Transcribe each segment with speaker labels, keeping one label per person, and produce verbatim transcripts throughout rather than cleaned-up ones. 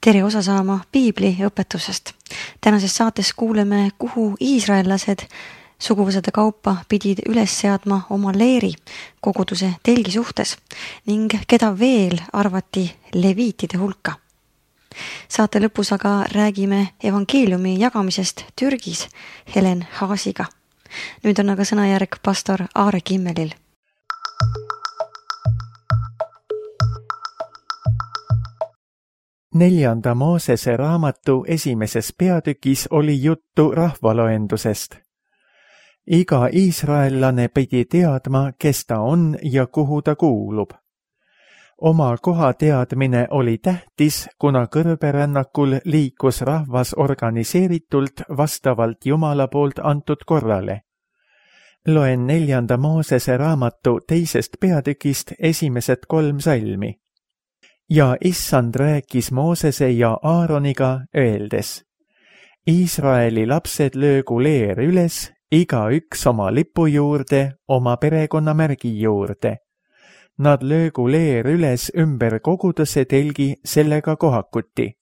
Speaker 1: tere osa saama piibli õpetusest. Tänases saates kuuleme, kuhu iisraellased suguvõsade kaupa pidid üles seadma oma leeri koguduse telgi suhtes ning keda veel arvati leviitide hulka. Saate lõpus aga räägime evangeeliumi jagamisest Türgis Helen Haasiga. Nüüd on aga sõnajärg pastor Aare Kimmelil.
Speaker 2: Neljanda Moosese raamatu esimeses peatükis oli juttu rahvaloendusest. Iga iisraellane pidi teadma, kes ta on ja kuhu ta kuulub. Oma koha teadmine oli tähtis, kuna kõrberännakul liikus rahvas organiseeritult vastavalt Jumala poolt antud korrale. Loen neljanda Moosese raamatu teisest peatükist esimesed kolm salmi. Ja issand rääkis Moosese ja Aaroniga öeldes: Iisraeli lapsed löögu leer üles, iga üks oma lipu juurde, oma perekonnamärgi juurde. Nad löögu leer üles ümber koguduse telgi sellega kohakuti.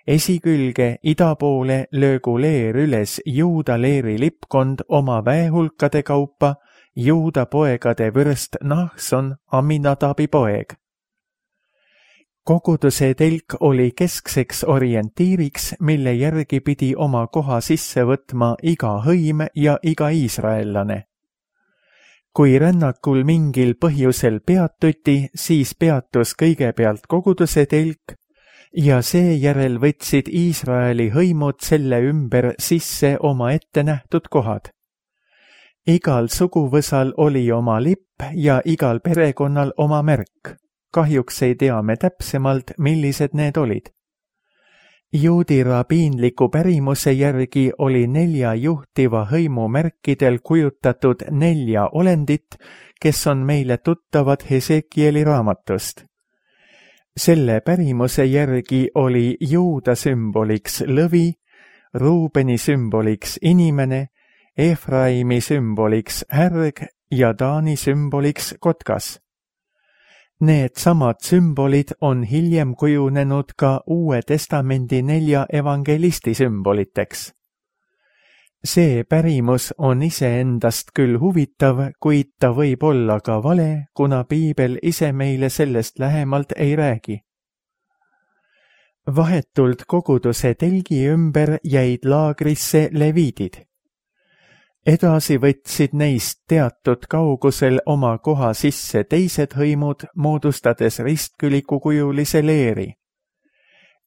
Speaker 2: Esikülge ida poole löögu leer üles Juuda leeri lipkond oma väehulkade kaupa, Juuda poegade vürst Nahson, Aminadabi poeg. Koguduse telk oli keskseks orientiiriks, mille järgi pidi oma koha sisse võtma iga hõim ja iga iisraellane. Kui rännakul mingil põhjusel peatuti, siis peatus kõigepealt koguduse telk ja seejärel võtsid Iisraeli hõimud selle ümber sisse oma ette nähtud kohad. Igal suguvõsal oli oma lipp ja igal perekonnal oma märk. Kahjuks ei tea me täpsemalt, millised need olid. Juudi rabiinliku pärimuse järgi oli nelja juhtiva hõimu märkidel kujutatud nelja olendit, kes on meile tuttavad Hesekieli raamatust. Selle pärimuse järgi oli Juuda sümboliks lõvi, Ruubeni sümboliks inimene, Efraimi sümboliks härg ja Taani sümboliks kotkas. Need samad sümbolid on hiljem kujunenud ka Uue Testamendi nelja evangelisti sümboliteks. See pärimus on iseendast küll huvitav, kuid ta võib olla ka vale, kuna piibel ise meile sellest lähemalt ei räägi. Vahetult koguduse telgi ümber jäid laagrisse leviidid. Edasi võtsid neist teatud kaugusel oma koha sisse teised hõimud, moodustades ristkülikukujulise leeri.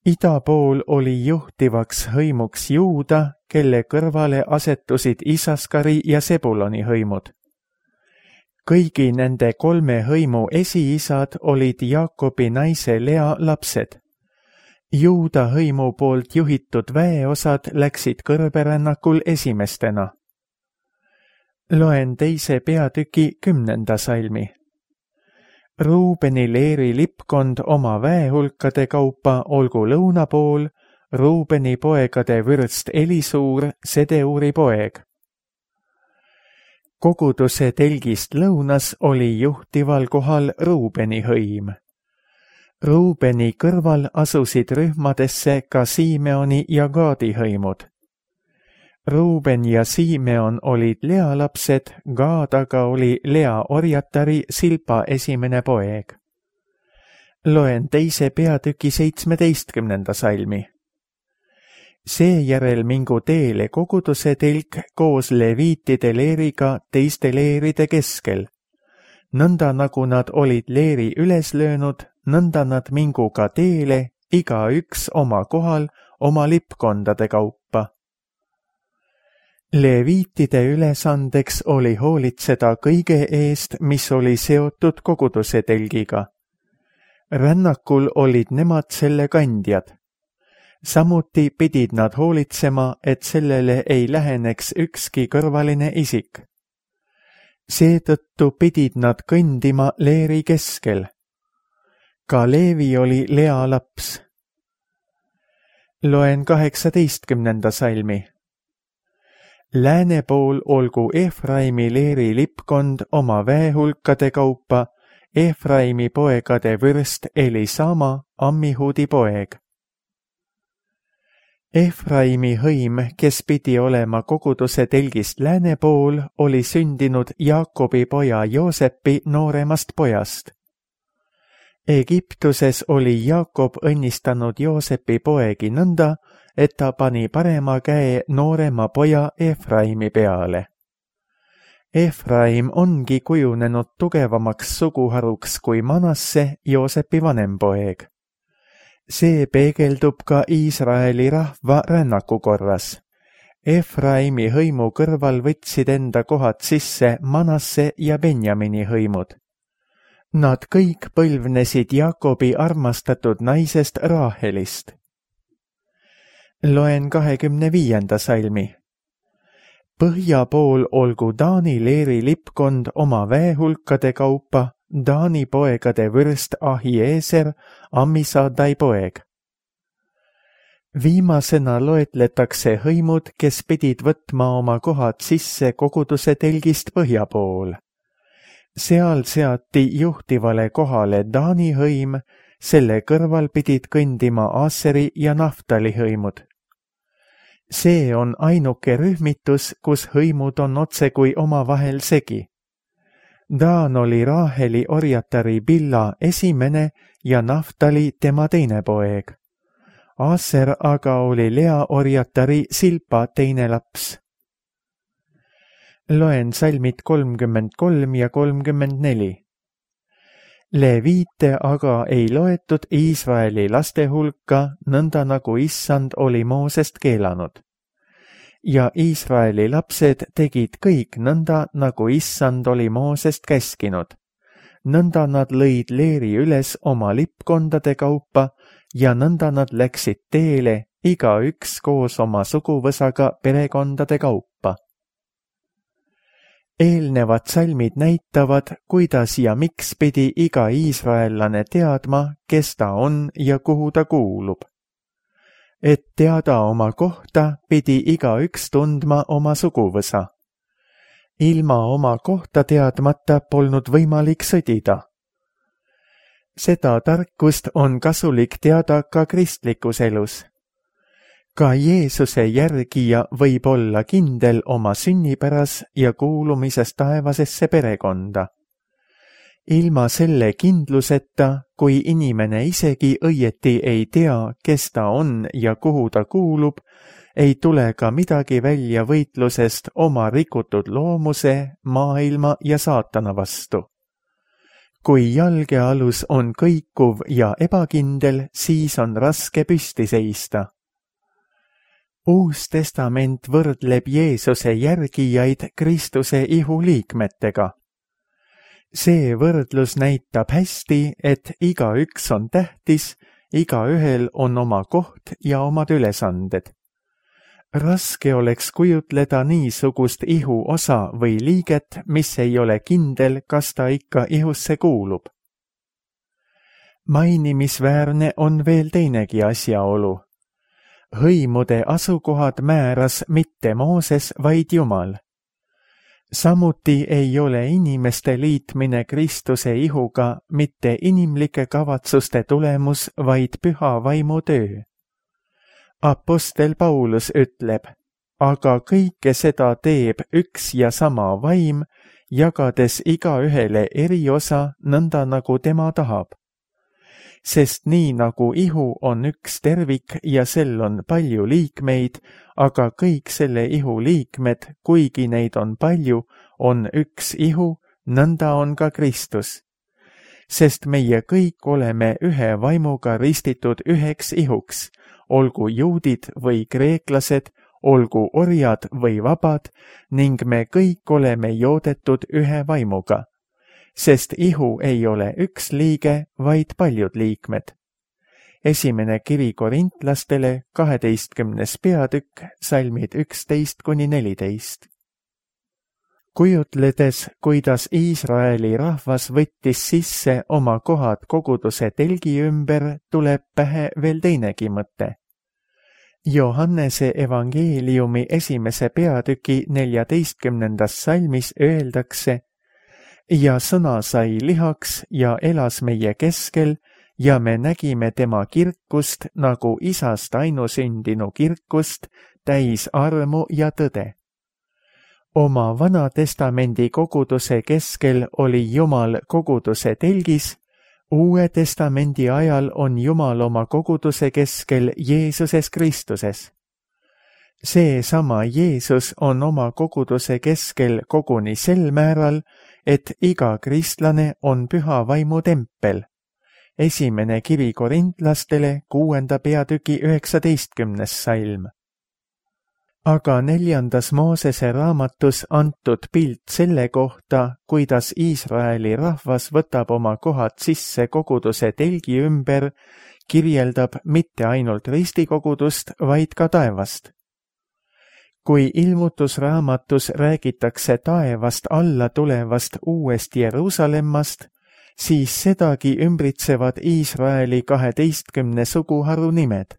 Speaker 2: Ida pool oli juhtivaks hõimuks Juuda, kelle kõrvale asetusid Isaskari ja Sebuloni hõimud. Kõigi nende kolme hõimu esiisad olid Jaakobi naise Lea lapsed. Juuda hõimu poolt juhitud väeosad läksid kõrberännakul esimestena. Loen teise peatüki kümnenda salmi. Ruubeni leeri lipkond oma väehulkade kaupa olgu lõuna pool, Ruubeni poegade vürst Elisuur, Sedeuri poeg. Koguduse telgist lõunas oli juhtival kohal Ruubeni hõim. Ruubeni kõrval asusid rühmadesse ka Simeoni ja Gaadi hõimud. Ruuben ja Simeon olid Lea lapsed, Gaad aga oli Lea orjatari Silpa esimene poeg. Loen teise peatüki seitsmeteistkümnenda salmi. Seejärel mingu teele koguduse telk koos leviitide leeriga teiste leeride keskel. Nõnda nagu nad olid leeri üles löönud, nõnda nad mingu ka teele, iga üks oma kohal, oma lipkondade kaupa. Leviitide ülesandeks oli hoolitseda kõige eest, mis oli seotud koguduse telgiga. Rännakul olid nemad selle kandjad. Samuti pidid nad hoolitsema, et sellele ei läheneks ükski kõrvaline isik. Seetõttu pidid nad kõndima leeri keskel. Ka Leevi oli Lea laps. Loen kaheksateistkümnenda salmi. Lääne pool olgu Efraimi leeri lipkond oma väehulkade kaupa, Efraimi poegade vürst Elisama, Ammihudi poeg. Efraimi hõim, kes pidi olema koguduse telgist lääne pool, oli sündinud Jaakobi poja Joosepi nooremast pojast. Egiptuses oli Jaakob õnnistanud Joosepi poegi nõnda, et ta pani parema käe noorema poja Efraimi peale. Efraim ongi kujunenud tugevamaks suguharuks kui Manasse, Joosepi vanem poeg. See peegeldub ka Iisraeli rahva rännakukorras. Efraimi hõimu kõrval võtsid enda kohad sisse Manasse ja Benjamini hõimud. Nad kõik põlvnesid Jaakobi armastatud naisest Raahelist. Loen kahekümne viienda salmi. Põhja pool olgu Taani leeri lipkond oma väehulkade kaupa, Taani poegade vürst Ahieser, Ammisadai poeg. Viimasena loetletakse hõimud, kes pidid võtma oma kohad sisse koguduse telgist põhja pool. Seal seati juhtivale kohale Taani hõim, selle kõrval pidid kõndima Aseri ja Naftali hõimud. See on ainuke rühmitus, kus hõimud on otsekui omavahel segi. Daan oli Raaheli orjatari Billa esimene ja Naftali tema teine poeg. Aser aga oli Lea orjatari Silpa teine laps. Loen salmid kolmkümmend kolm ja kolmkümmend neli. Leviite aga ei loetud Iisraeli laste hulka, nõnda nagu Issand oli Moosest keelanud. Ja Iisraeli lapsed tegid kõik nõnda, nagu Issand oli Moosest käskinud. Nõnda nad lõid leeri üles oma lipkondade kaupa ja nõnda nad läksid teele, igaüks koos oma suguvõsaga perekondade kaupa. Eelnevad salmid näitavad, kuidas ja miks pidi iga iisraellane teadma, kes ta on ja kuhu ta kuulub. Et teada oma kohta, pidi igaüks tundma oma suguvõsa. Ilma oma kohta teadmata polnud võimalik sõdida. Seda tarkust on kasulik teada ka kristlikus elus. Ka Jeesuse järgija võib olla kindel oma sünnipäras ja kuulumises taevasesse perekonda. Ilma selle kindluseta, kui inimene isegi õieti ei tea, kes ta on ja kuhu ta kuulub, ei tule ka midagi välja võitlusest oma rikutud loomuse, maailma ja saatana vastu. Kui jalgealus on kõikuv ja ebakindel, siis on raske püsti seista. Uus testament võrdleb Jeesuse järgijaid Kristuse ihuliikmetega. See võrdlus näitab hästi, et igaüks on tähtis, igaühel on oma koht ja omad ülesanded. Raske oleks kujutleda niisugust ihu osa või liiget, mis ei ole kindel, kas ta ikka ihusse kuulub. Mainimisväärne on veel teinegi asjaolu. Hõimude asukohad määras mitte Mooses, vaid Jumal. Samuti ei ole inimeste liitmine Kristuse ihuga mitte inimlike kavatsuste tulemus, vaid püha vaimu töö. Apostel Paulus ütleb, aga kõike seda teeb üks ja sama vaim, jagades igaühele eriosa nõnda nagu tema tahab. Sest nii nagu ihu on üks tervik ja sel on palju liikmeid, aga kõik selle ihu liikmed, kuigi neid on palju, on üks ihu, nõnda on ka Kristus. Sest meie kõik oleme ühe vaimuga ristitud üheks ihuks, olgu juudid või kreeklased, olgu orjad või vabad, ning me kõik oleme joodetud ühe vaimuga. Sest ihu ei ole üks liige, vaid paljud liikmed. Esimene kiri korintlastele, kaheteistkümnes peatükk, salmid üksteist kuni neliteist. Kujutledes, kuidas Iisraeli rahvas võttis sisse oma kohad koguduse telgi ümber, tuleb pähe veel teinegi mõte. Johannese evangeeliumi esimese peatüki neljateistkümnendas salmis öeldakse, ja sõna sai lihaks ja elas meie keskel ja me nägime tema kirkust nagu isast ainusündinu kirkust, täis armu ja tõde. Oma Vana Testamendi koguduse keskel oli Jumal koguduse telgis, Uue Testamendi ajal on Jumal oma koguduse keskel Jeesuses Kristuses. Seesama Jeesus on oma koguduse keskel koguni sel määral, et iga kristlane on püha vaimu tempel. Esimene kiri korintlastele kuuenda peatüki üheksateistkümnes salm. Aga neljandas Moosese raamatus antud pilt selle kohta, kuidas Iisraeli rahvas võtab oma kohad sisse koguduse telgi ümber, kirjeldab mitte ainult ristikogudust, vaid ka taevast. Kui ilmutusraamatus räägitakse taevast alla tulevast uuest Jeruusalemmast, siis sedagi ümbritsevad Iisraeli kaheteistkümne suguharu nimed.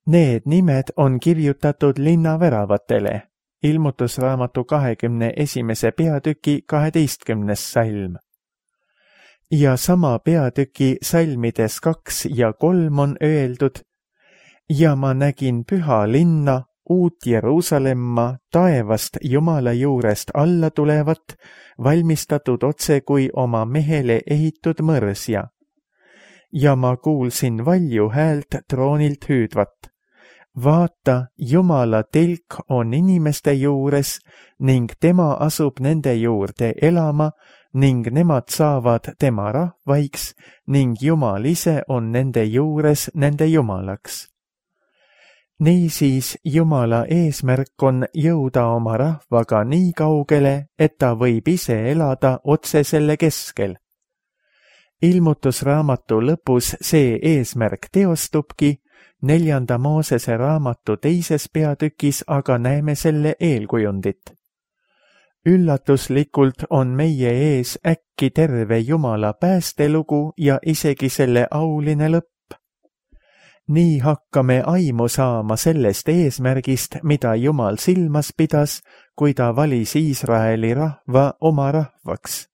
Speaker 2: Need nimed on kirjutatud linnaväravatele, ilmutusraamatu kahekümne esimese peatüki kaheteistkümnes salm. Ja sama peatüki salmides kaks ja kolm on öeldud: ja ma nägin püha linna, uut Jeruusalemma, taevast Jumala juurest alla tulevat, valmistatud otse kui oma mehele ehitud mõrsja. Ja ma kuulsin valju häält troonilt hüüdvat: vaata, Jumala telk on inimeste juures ning tema asub nende juurde elama ning nemad saavad tema rahvaiks ning Jumal ise on nende juures nende Jumalaks. Niisiis Jumala eesmärk on jõuda oma rahvaga nii kaugele, et ta võib ise elada otse selle keskel. Ilmutusraamatu lõpus see eesmärk teostubki, neljanda Moosese raamatu teises peatükis aga näeme selle eelkujundit. Üllatuslikult on meie ees äkki terve Jumala päästelugu ja isegi selle auline lõpp. Nii hakkame aimu saama sellest eesmärgist, mida Jumal silmas pidas, kui ta valis Iisraeli rahva oma rahvaks.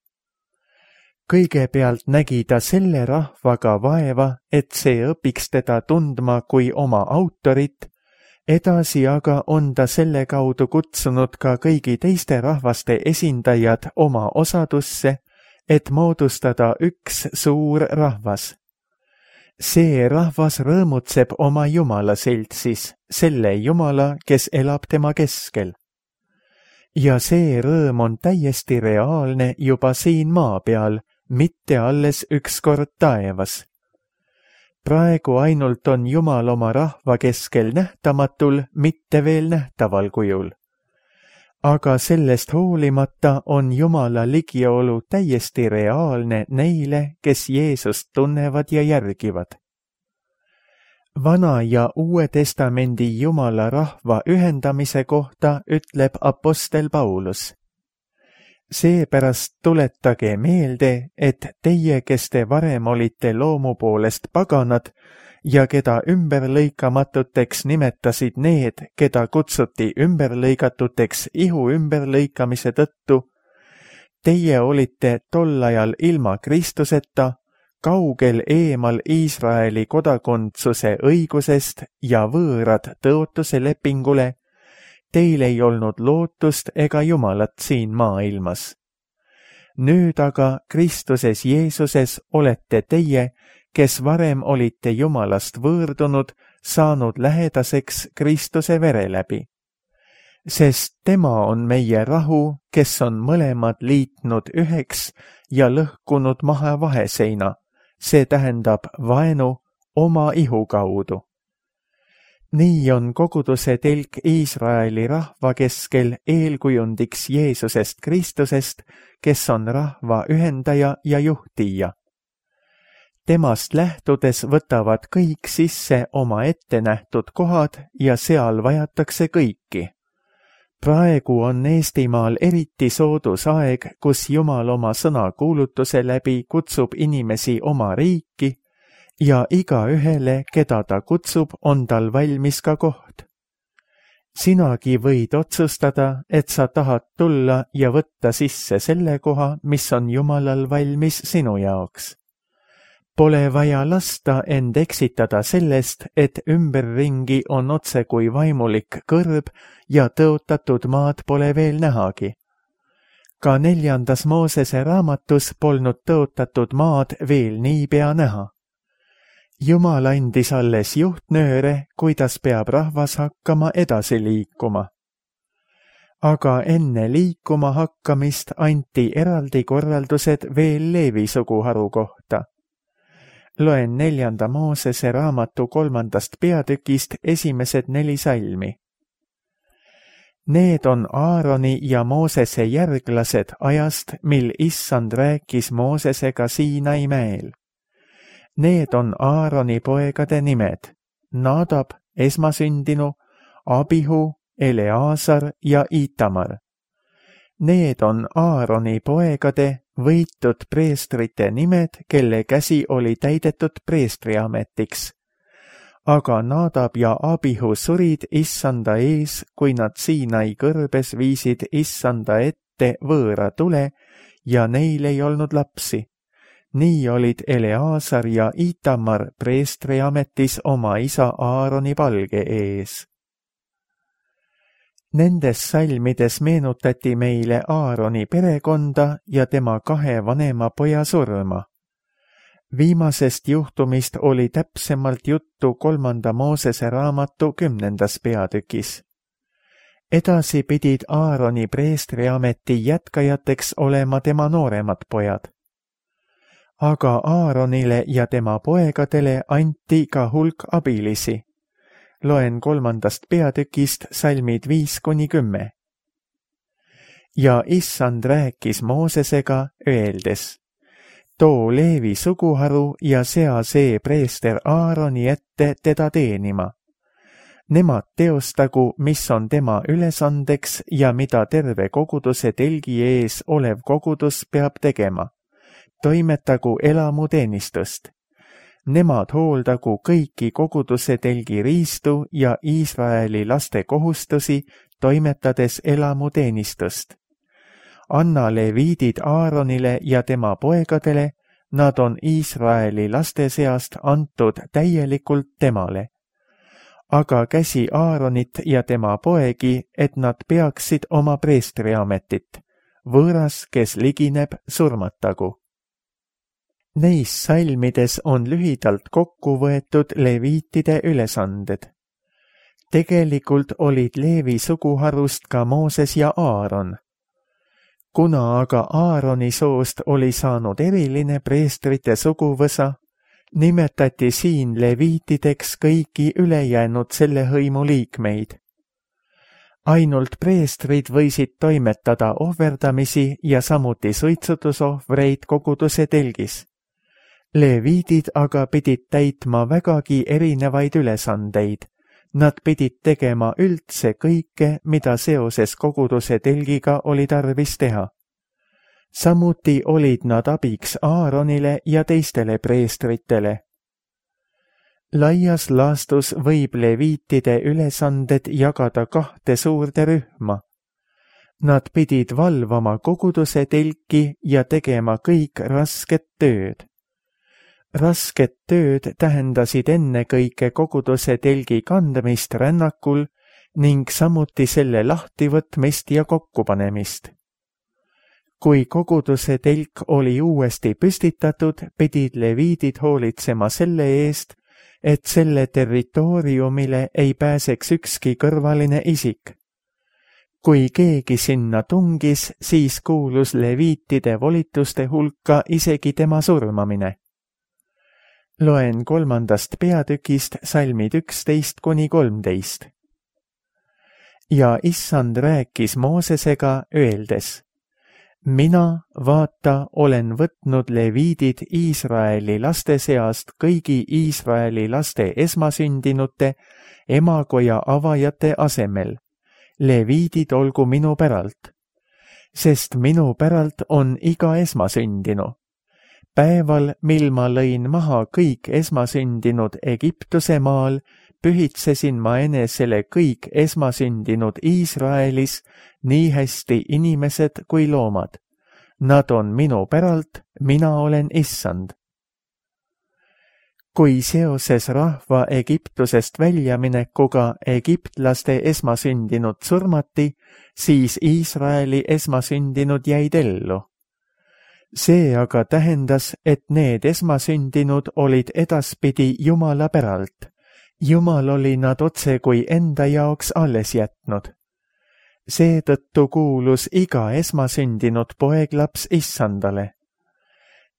Speaker 2: Kõigepealt nägi ta selle rahvaga vaeva, et see õpiks teda tundma kui oma autorit, edasi aga on ta selle kaudu kutsunud ka kõigi teiste rahvaste esindajad oma osadusse, et moodustada üks suur rahvas. See rahvas rõõmutseb oma Jumala seltsis, selle Jumala, kes elab tema keskel. Ja see rõõm on täiesti reaalne juba siin maa peal, mitte alles ükskord taevas. Praegu ainult on Jumal oma rahva keskel nähtamatul, mitte veel nähtaval kujul. Aga sellest hoolimata on Jumala ligiolu täiesti reaalne neile, kes Jeesust tunnevad ja järgivad. Vana ja Uue Testamendi Jumala rahva ühendamise kohta ütleb apostel Paulus: seepärast tuletage meelde, et teie, kes te varem olite loomu poolest paganad ja keda ümberlõikamatuteks nimetasid need, keda kutsuti ümberlõikatuteks ihu ümberlõikamise tõttu, teie olite tol ajal ilma Kristuseta, kaugel eemal Iisraeli kodakondsuse õigusest ja võõrad tõotuse lepingule, teil ei olnud lootust ega Jumalat siin maailmas. Nüüd aga Kristuses Jeesuses olete teie, kes varem olite Jumalast võõrdunud, saanud lähedaseks Kristuse vere läbi. Sest tema on meie rahu, kes on mõlemad liitnud üheks ja lõhkunud maha vaheseina, see tähendab vaenu oma ihu kaudu. Nii on koguduse telk Iisraeli rahva keskel eelkujundiks Jeesusest Kristusest, kes on rahva ühendaja ja juhtija. Temast lähtudes võtavad kõik sisse oma ettenähtud kohad ja seal vajatakse kõiki. Praegu on Eestimaal eriti soodus aeg, kus Jumal oma sõna kuulutuse läbi kutsub inimesi oma riiki ja igaühele, keda ta kutsub, on tal valmis ka koht. Sinagi võid otsustada, et sa tahad tulla ja võtta sisse selle koha, mis on Jumalal valmis sinu jaoks. Pole vaja lasta end eksitada sellest, et ümberringi on otse kui vaimulik kõrb ja tõotatud maad pole veel nähagi. Ka neljandas Moosese raamatus polnud tõotatud maad veel niipea näha. Jumal andis alles juhtnööre, kuidas peab rahvas hakkama edasi liikuma. Aga enne liikuma hakkamist anti eraldi korraldused veel Leevi suguharu kohta. Loen neljanda Moosese raamatu kolmandast peatükist esimesed neli salmi. Need on Aaroni ja Moosese järglased ajast, mil Issand rääkis Moosesega Siinai mäel. Need on Aaroni poegade nimed: Nadab, esmasündinu, Abihu, Eleazar ja Itamar. Need on Aaroni poegade võitud preestrite nimed, kelle käsi oli täidetud preestriametiks. Aga Nadab ja Abihu surid Issanda ees, kui nad Siinai kõrbes viisid Issanda ette võõra tule ja neil ei olnud lapsi. Nii olid Eleazar ja Itamar preestriametis oma isa Aaroni palge ees. Nendes salmides meenutati meile Aaroni perekonda ja tema kahe vanema poja surma. Viimasest juhtumist oli täpsemalt juttu kolmanda Moosese raamatu kümnendas peatükis. Edasi pidid Aaroni preestriameti jätkajateks olema tema nooremad pojad. Aga Aaronile ja tema poegadele anti ka hulk abilisi. Loen kolmandast peatükist salmid viis kuni kümme. Ja Issand rääkis Moosesega, öeldes: too Leevi suguharu ja sea see preester Aaroni ette teda teenima. Nemad teostagu, mis on tema ülesandeks ja mida terve koguduse telgi ees olev kogudus peab tegema. Toimetagu elamuteenistust. Nemad hooldagu kõiki koguduse telgi riistu ja Iisraeli laste kohustusi, toimetades elamuteenistust. Anna leviidid Aaronile ja tema poegadele, nad on Iisraeli laste seast antud täielikult temale. Aga käsi Aaronit ja tema poegi, et nad peaksid oma preestriametit. Võõras, kes ligineb, surmatagu. Neis salmides on lühidalt kokku võetud leviitide ülesanded. Tegelikult olid Leevi suguharust ka Mooses ja Aaron. Kuna aga Aaroni soost oli saanud eriline preestrite suguvõsa, nimetati siin leviitideks kõiki ülejäänud selle hõimu liikmeid. Ainult preestrid võisid toimetada ohverdamisi ja samuti suitsutusohvreid koguduse telgis. Leviidid aga pidid täitma vägagi erinevaid ülesandeid. Nad pidid tegema üldse kõike, mida seoses koguduse telgiga oli tarvis teha. Samuti olid nad abiks Aaronile ja teistele preestritele. Laias laastus võib leviitide ülesanded jagada kahte suurde rühma. Nad pidid valvama koguduse telki ja tegema kõik rasket tööd. Rasket tööd tähendasid ennekõike koguduse telgi kandmist rännakul ning samuti selle lahtivõtmist ja kokkupanemist. Kui koguduse telk oli uuesti püstitatud, pidid leviidid hoolitsema selle eest, et selle territooriumile ei pääseks ükski kõrvaline isik. Kui keegi sinna tungis, siis kuulus leviitide volituste hulka isegi tema surmamine. Loen kolmandast peatükist salmid üksteist kuni kolmteist. Ja Issand rääkis Moosesega, öeldes: mina, vaata, olen võtnud leviidid Iisraeli laste seast kõigi Iisraeli laste esmasündinute, emakoja avajate asemel. Leviidid olgu minu päralt, sest minu päralt on iga esmasündinu. Päeval, mil ma lõin maha kõik esmasündinud Egiptuse maal, pühitsesin ma enesele kõik esmasündinud Iisraelis, nii hästi inimesed kui loomad. Nad on minu päralt, mina olen Issand. kui seoses rahva Egiptusest väljaminekuga egiptlaste esmasündinud surmati, siis Iisraeli esmasündinud jäid ellu. See aga tähendas, et need esmasündinud olid edaspidi Jumala päralt. Jumal oli nad otse kui enda jaoks alles jätnud. Seetõttu kuulus iga esmasündinud poeglaps Issandale.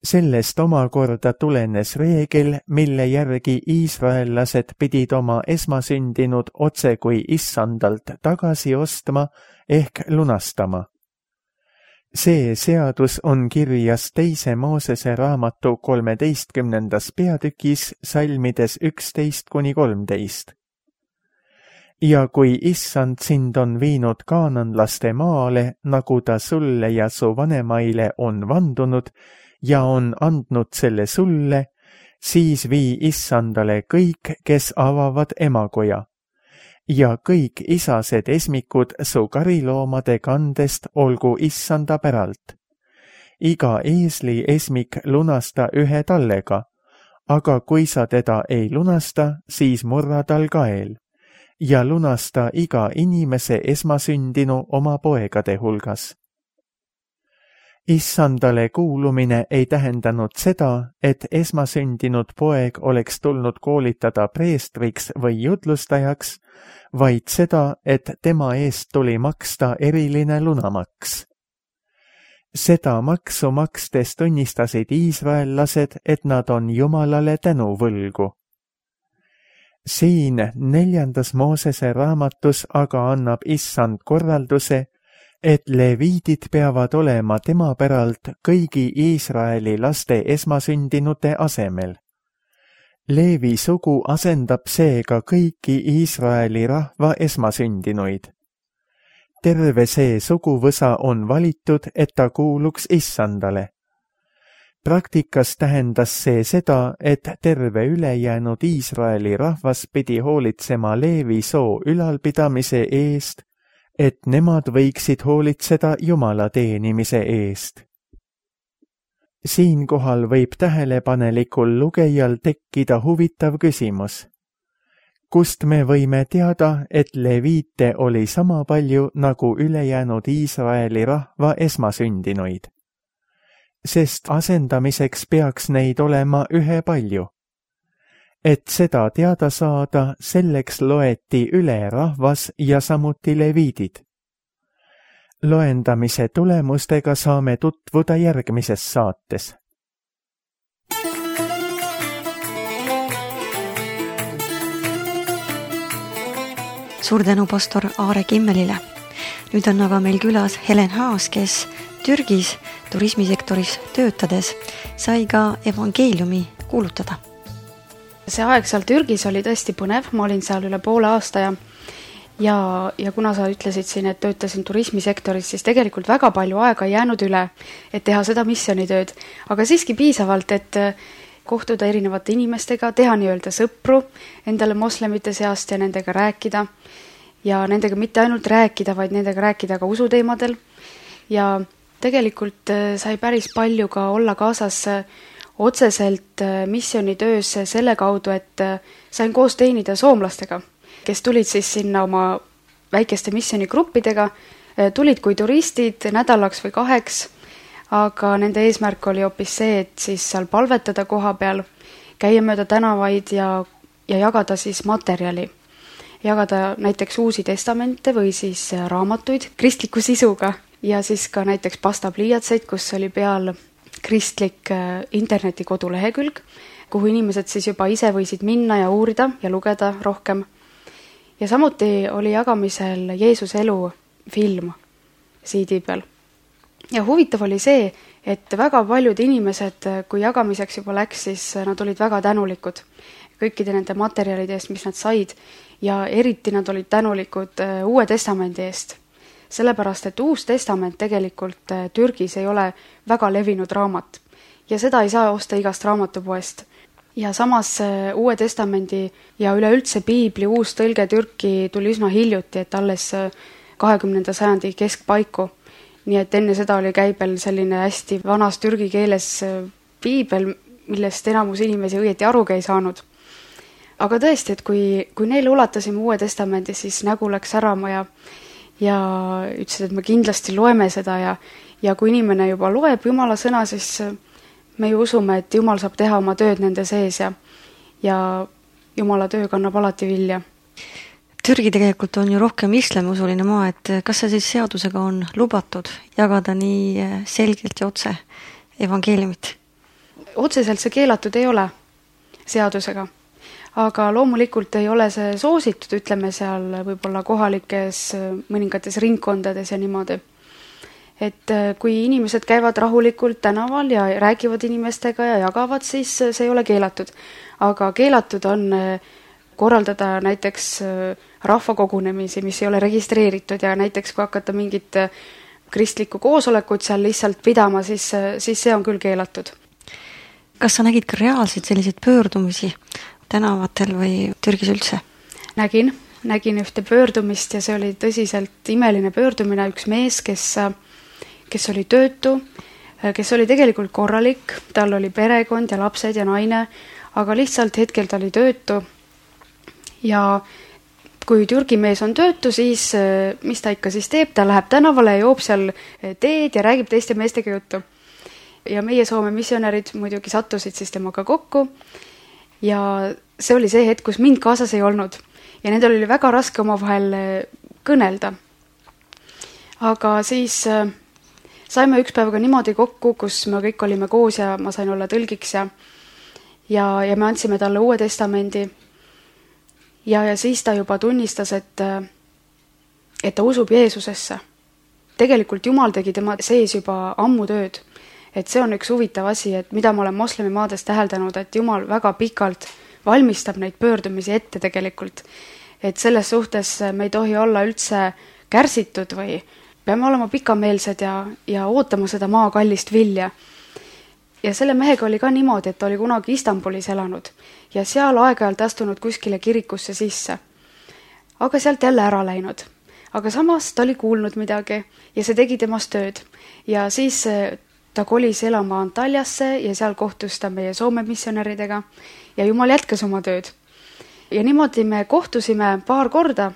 Speaker 2: Sellest omakorda tulenes reegel, mille järgi iisraellased pidid oma esmasündinud otse kui Issandalt tagasi ostma ehk lunastama. See seadus on kirjas teise Moosese raamatu kolmeteistkümnendas peatükis salmides üksteist kuni kolmteist. Ja kui Issand sind on viinud kaananlaste maale, nagu ta sulle ja su vanemaile on vandunud, ja on andnud selle sulle, siis vii Issandale kõik, kes avavad emakoja. Ja kõik isased esmikud su kariloomade kandest olgu Issanda päralt. Iga eesli esmik lunasta ühe tallega, aga kui sa teda ei lunasta, siis murra tal kael. Ja lunasta iga inimese esmasündinu oma poegade hulgas. Issandale kuulumine ei tähendanud seda, et esmasündinud poeg oleks tulnud koolitada preestriks või jutlustajaks, vaid seda, et tema eest tuli maksta eriline lunamaks. Seda maksu makstes tunnistasid iisraellased, et nad on Jumalale tänuvõlgu. Siin neljandas Moosese raamatus aga annab Issand korralduse, et leviidid peavad olema tema päralt kõigi Iisraeli laste esmasündinute asemel. Leevi sugu asendab seega kõiki Iisraeli rahva esmasündinuid. Terve see suguvõsa on valitud, et ta kuuluks Issandale. Praktikas tähendas see seda, et terve ülejäänud Iisraeli rahvas pidi hoolitsema Leevi soo ülalpidamise eest, et nemad võiksid hoolitseda Jumala teenimise eest. Siinkohal võib tähelepanelikul lugejal tekkida huvitav küsimus. Kust me võime teada, et leviite oli sama palju nagu ülejäänud Iisraeli rahva esmasündinuid? Sest asendamiseks peaks neid olema ühe palju. Et seda teada saada, selleks loeti üle rahvas ja samuti leviidid. Loendamise tulemustega saame tutvuda järgmises saates.
Speaker 1: Suur tänu pastor Aare Kimmelile. Nüüd on aga meil külas Helen Haas, kes Türgis turismisektoris töötades sai ka evangeeliumi kuulutada.
Speaker 3: See aeg seal Türgis oli tõesti põnev, ma olin seal üle poole aasta ja, ja, ja kuna sa ütlesid siin, et töötasin turismisektoris, siis tegelikult väga palju aega ei jäänud üle, et teha seda missionitööd, aga siiski piisavalt, et kohtuda erinevate inimestega, teha nii-öelda sõpru endale moslemite seast ja nendega rääkida ja nendega mitte ainult rääkida, vaid nendega rääkida ka usuteemadel ja tegelikult sai päris palju ka olla kaasas otseselt missionitöös selle kaudu, et sain koos teenida soomlastega, kes tulid siis sinna oma väikeste missionigruppidega, tulid kui turistid nädalaks või kaheks, aga nende eesmärk oli hoopis see, et siis seal palvetada koha peal, käia mööda tänavaid ja, ja jagada siis materjali. Jagada näiteks uusi testamente või siis raamatuid kristliku sisuga ja siis ka näiteks pastapliiatseid, kus oli peal kristlik internetikodu lehekülg, kuhu inimesed siis juba ise võisid minna ja uurida ja lugeda rohkem. Ja samuti oli jagamisel Jeesuse elu film siidi peal. Ja huvitav oli see, et väga paljud inimesed, kui jagamiseks juba läks, siis nad olid väga tänulikud kõikide nende materjalide eest, mis nad said ja eriti nad olid tänulikud Uue Testamendi eest. Sellepärast, et Uus Testament tegelikult Türgis ei ole väga levinud raamat ja seda ei saa osta igast raamatupoest. Ja samas Uue Testamendi ja üleüldse Piibli uus tõlge Türki tuli üsna hiljuti, et alles kahekümnenda sajandi keskpaiku. Nii et enne seda oli käibel selline hästi vanas türgi keeles Piibel, millest enamus inimesi õieti arugi ei saanud. Aga tõesti, et kui, kui neile ulatasime Uue Testamendi, siis nägu läks särama ja, ja ütlesid, et me kindlasti loeme seda ja, ja kui inimene juba loeb Jumala sõna, siis me ju usume, et Jumal saab teha oma tööd nende sees ja, ja Jumala töö kannab alati vilja.
Speaker 1: Türgi tegelikult on ju rohkem islamiusuline maa, et kas see siis seadusega on lubatud jagada nii selgelt ja otse evangeeliumit?
Speaker 3: Otseselt see keelatud ei ole seadusega, aga loomulikult ei ole see soositud, ütleme seal võib-olla kohalikes mõningates ringkondades ja niimoodi. Et kui inimesed käivad rahulikult tänaval ja räägivad inimestega ja jagavad, siis see ei ole keelatud. Aga keelatud on korraldada näiteks rahvakogunemisi, mis ei ole registreeritud ja näiteks kui hakata mingit kristlikku koosolekut seal lihtsalt pidama, siis, siis see on küll keelatud.
Speaker 1: Kas sa nägid ka reaalselt selliseid pöördumisi tänavatel või Türgis üldse?
Speaker 3: Nägin, nägin ühte pöördumist ja see oli tõsiselt imeline pöördumine, üks mees, kes, kes oli töötu, kes oli tegelikult korralik, tal oli perekond ja lapsed ja naine, aga lihtsalt hetkel ta oli töötu ja kui Türgi mees on töötu, siis mis ta ikka siis teeb, ta läheb tänavale ja joob seal teed ja räägib teiste meestega juttu. Ja meie Soome missionärid muidugi sattusid siis temaga kokku ja see oli see hetk, kus mind kaasas ei olnud ja nendel oli väga raske omavahel kõnelda. Aga siis saime üks päevaga niimoodi kokku, kus me kõik olime koos ja ma sain olla tõlgiks ja, ja, ja me andsime talle Uue Testamendi ja, ja siis ta juba tunnistas, et, et ta usub Jeesusesse. Tegelikult Jumal tegi tema sees juba ammu tööd. Et see on üks huvitav asi, et mida ma olen moslemi maades täheldanud, et Jumal väga pikalt valmistab neid pöördumisi ette tegelikult. Et selles suhtes me ei tohi olla üldse kärsitud või peame olema pikameelsed ja, ja ootama seda maa kallist vilja. Ja selle mehega oli ka niimoodi, et ta oli kunagi Istanbulis elanud ja seal aeg-ajalt astunud kuskile kirikusse sisse. Aga sealt jälle ära läinud. Aga samas ta oli kuulnud midagi ja see tegi temast tööd. Ja siis ta kolis elama Antaljasse ja seal kohtus ta meie Soome missionäridega ja Jumal jätkas oma tööd. Ja niimoodi me kohtusime paar korda,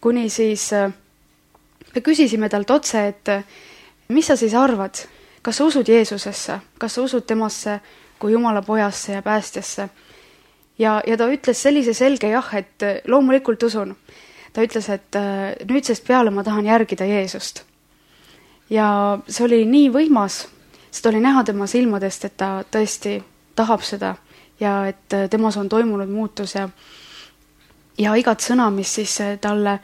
Speaker 3: kuni siis me küsisime talt otse, et mis sa siis arvad, kas sa usud Jeesusesse, kas sa usud temasse kui Jumala pojasse ja päästjasse. Ja, ja ta ütles sellise selge jah, et loomulikult usun. Ta ütles, et nüüdsest peale ma tahan järgida Jeesust. Ja see oli nii võimas, seda oli näha tema silmadest, et ta tõesti tahab seda ja et temas on toimunud muutus ja, ja igat sõna, mis siis talle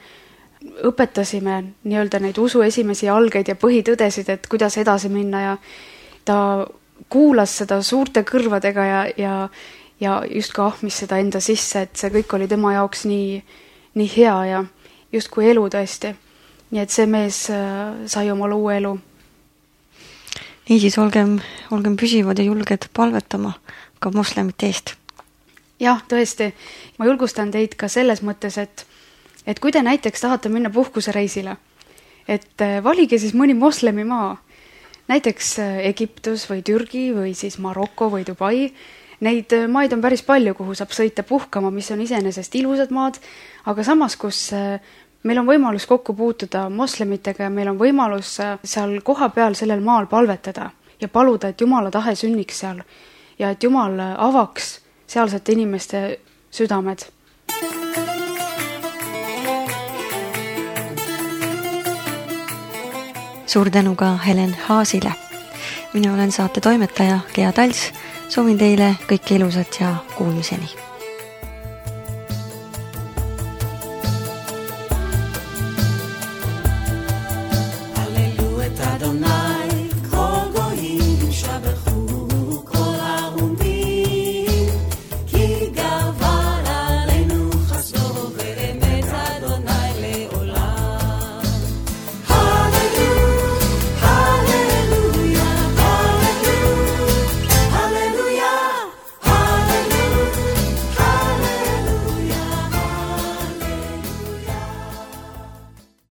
Speaker 3: õpetasime nii-öelda neid usu esimesi algeid ja põhitõdesid, et kuidas edasi minna ja ta kuulas seda suurte kõrvadega ja, ja, ja just ka ahmis seda enda sisse, et see kõik oli tema jaoks nii, nii hea ja just kui elu tõesti. Nii et see mees sai omal uue elu.
Speaker 1: Niisiis olgem, olgem püsivad ja julged palvetama ka moslemite eest.
Speaker 3: Jah, tõesti. Ma julgustan teid ka selles mõttes, et, et kui te näiteks tahate minna puhkusereisile, et valige siis mõni moslemi maa, näiteks Egiptus või Türgi või siis Maroko või Dubai. Neid maid on päris palju, kuhu saab sõita puhkama, mis on iseenesest ilusad maad, aga samas, kus meil on võimalus kokku puutuda moslemitega ja meil on võimalus seal koha peal sellel maal palvetada ja paluda, et Jumala tahe sünniks seal ja et Jumal avaks sealsete inimeste südamed.
Speaker 1: Suur tänu ka Helen Haasile. Mina olen saate toimetaja Gea Tals. Soovin teile kõike ilusat ja kuulmiseni.